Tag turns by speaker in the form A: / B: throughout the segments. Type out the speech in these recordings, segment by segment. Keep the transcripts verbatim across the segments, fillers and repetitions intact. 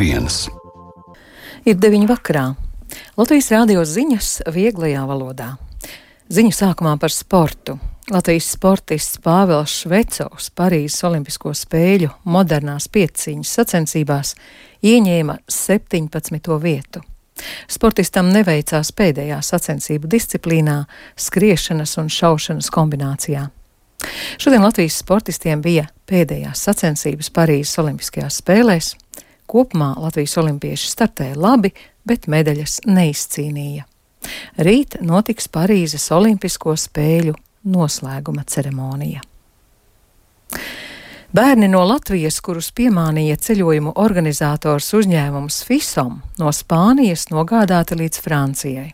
A: viens.
B: Ir deviņi vakarā. Latvijas rādio ziņas vieglajā valodā. Ziņu sākumā par sportu. Latvijas sportists Pāvils Švecovs Parīzes Olimpisko spēļu modernās pieciņas sacensībās ieņēma septiņpadsmito vietu. Sportistam neveicās pēdējā sacensību disciplīnā skriešanas un šaušanas kombinācijā. Šodien Latvijas sportistiem bija pēdējās sacensības Parīzes Olimpiskajās spēlēs. Kopumā Latvijas olimpieši startēja labi, bet medaļas neizcīnīja. Rīt notiks Parīzes Olimpisko spēļu noslēguma ceremonija. Bērni no Latvijas, kurus piemānīja ceļojumu organizators uzņēmums Fisom, no Spānijas nogādāti līdz Francijai.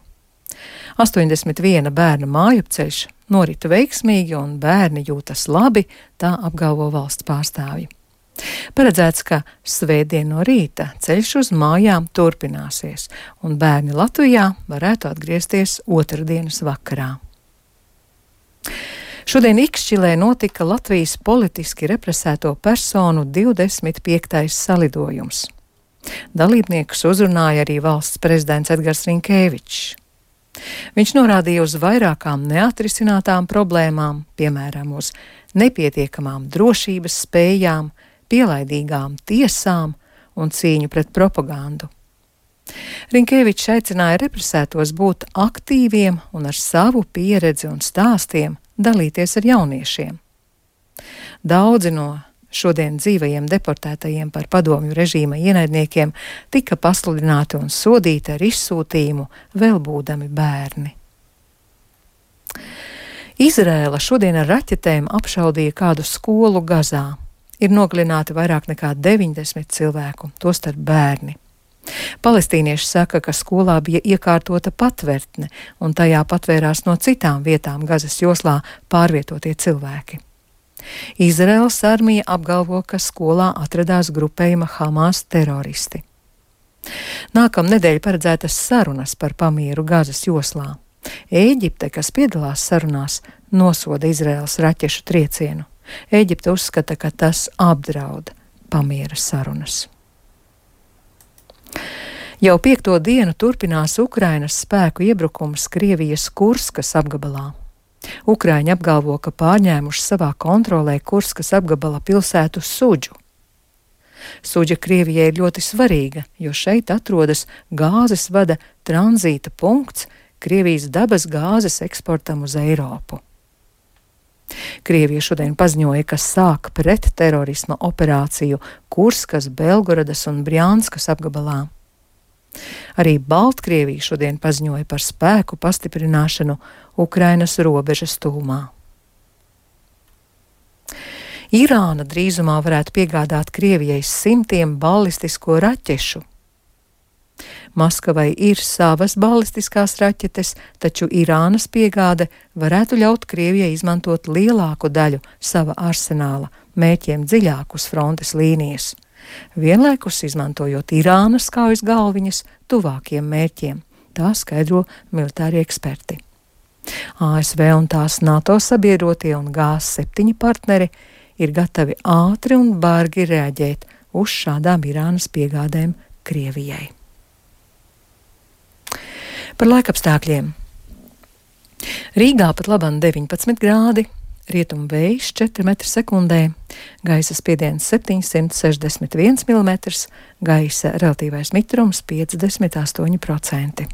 B: astoņdesmit viena bērna mājupceļš norita veiksmīgi un bērni jūtas labi, tā apgalvo valsts pārstāvji. Paredzēts, ka svētdien no rīta ceļš uz mājām turpināsies, un bērni Latvijā varētu atgriezties otrdienas vakarā. Šodien Ikšķilē notika Latvijas politiski represēto personu divdesmit piektais salidojums. Dalībniekus uzrunāja arī valsts prezidents Edgars Rinkēvičs. Viņš norādīja uz vairākām neatrisinātām problēmām, piemēram, uz nepietiekamām drošības spējām, pielaidīgām tiesām un cīņu pret propagandu. Rinkēvičs aicināja represētos būt aktīviem un ar savu pieredzi un stāstiem dalīties ar jauniešiem. Daudzi no šodien dzīvajiem deportētajiem par padomju režīma ienaidniekiem tika pasludināti un sodīti ar izsūtījumu, vēl būdami bērni. Izraēla šodien ar raķetēm apšaudīja kādu skolu Gazā. Ir nogalināti vairāk nekā deviņdesmit cilvēku, tostarp bērni. Palestīnieši saka, ka skolā bija iekārtota patvertne, un tajā patvērās no citām vietām Gazas joslā pārvietotie cilvēki. Izraēlas armija apgalvo, ka skolā atradās grupējuma Hamas teroristi. Nākamnedēļ paredzētas sarunas par pamieru Gazas joslā. Ēģipte, kas piedalās sarunās, nosoda Izraēlas raķešu triecienu. Ēģipte uzskata, ka tas apdraud pamiera sarunas. Jau piekto dienu turpinās Ukrainas spēku iebrukums Krievijas Kurskas apgabalā. Ukraiņi apgalvo, ka pārņēmuši savā kontrolē Kurskas apgabala pilsētu Suģu. Suģa Krievijai ir ļoti svarīga, jo šeit atrodas gāzes vada tranzīta punkts Krievijas dabas gāzes eksportam uz Eiropu. Krievija šodien paziņoja, ka sāk pretterorisma operāciju Kurskas, Belgorodas un Brjanskas apgabalā. Arī Baltkrievija šodien paziņoja par spēku pastiprināšanu Ukrainas robežas tuvumā. Irāna drīzumā varētu piegādāt Krievijai simtiem ballistisko raķešu. Maskavai ir savas ballistiskās raķetes, taču Irānas piegāde varētu ļaut Krievijai izmantot lielāku daļu sava arsenāla, mērķiem dziļākus frontes līnijas, vienlaikus izmantojot Irānas kaujas galviņas tuvākiem mērķiem, tā skaidro militāri eksperti. A S V un tās NATO sabiedrotie un G septiņi partneri ir gatavi ātri un bargi reaģēt uz šādām Irānas piegādēm Krievijai. Par laikapstākļiem. Rīgā pat labam deviņpadsmit grādi, rietumu vējš četri metri sekundē, gaisa spiediens septiņsimt sešdesmit viens milimetrs, gaisa relatīvais mitrums piecdesmit astoņi procenti.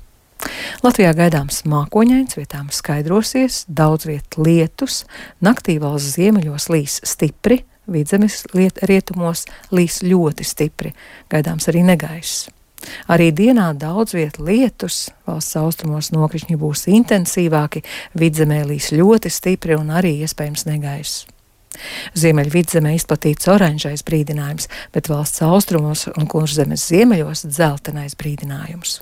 B: Latvijā gaidāms mākoņains, vietām skaidrosies, daudz viet lietus, naktī valsts ziemeļos līs stipri, vidzemes rietumos līs ļoti stipri, gaidāms arī negaiss. Arī dienā daudz viet lietus, valsts austrumos nokrišņi būs intensīvāki, vidzemē līs ļoti stipri un arī iespējams negaiss. Ziemeļvidzemē izplatīts oranžais brīdinājums, bet valsts austrumos un Kurzemes ziemeļos dzeltenais brīdinājums.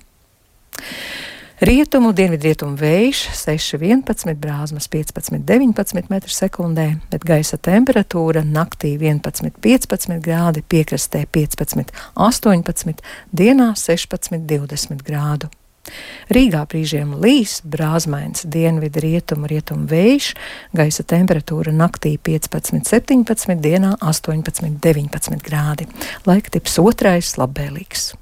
B: Rietumu, dienvidrietumu vējš seši vienpadsmit, brāzmas piecpadsmit deviņpadsmit metri sekundē, bet gaisa temperatūra naktī vienpadsmit piecpadsmit grādi, piekrastē piecpadsmit astoņpadsmit, dienā sešpadsmit divdesmit grādu. Rīgā brīžiem līs, brāzmains dienvidu rietumu rietumu vējš, gaisa temperatūra naktī piecpadsmit septiņpadsmit, dienā astoņpadsmit deviņpadsmit grādi. Laika tips otrais labvēlīgs.